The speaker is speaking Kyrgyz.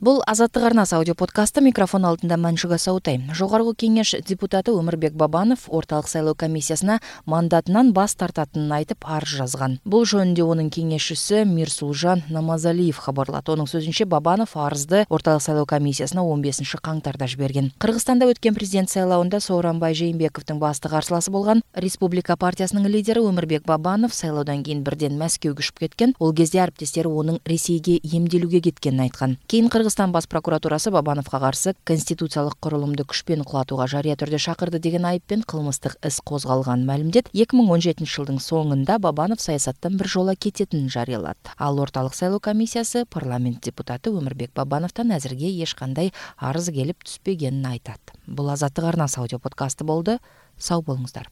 Бул Азаттык арнасы аудио подкасты. Микрофон алдында Маншуга Саутай. Жогорку кеңеш депутаты Өмүрбек Бабанов орталык сайлоо комиссиясына мандатынан бас тартатынын айтып арыз жазган. Бул жөнүндө анын кеңешчиси Мирсулжан Намазалиев кабарлады. Анын сөзүнчө, Бабанов арызды орталык сайлоо комиссиясына 15-каңтарда жиберген. Кыргызстанда өткөн президент сайлоосунда Сооронбай Жээнбековдун басты карсыласы болгон Республика партиясынын лидери Өмүрбек Бабанов сайлоодон кийин бирден Мәскеугө учуп кеткен. Ол кезде ариптестери анын Ресейге эмделүүгө кеткенин айткан. Кийин Кыргызстан бас прокуратурасы Бабановго каршы конституциялык курулумду күчпен кулатууга жарыя түрдө чакырды деген айыппен кылмыстык ис козголганын маалимдеп, 2017-жылдын соңунда Бабанов саясаттан бир жоло кететинин жарыялады. Ал орталык сайлоо комиссиясы парламент депутаты Өмүрбек Бабановдон азырге эч кандай арыз келип түспөгенин айтат. Бул Азаттык арнасы аудио подкасты болду. Сау болуңуздар.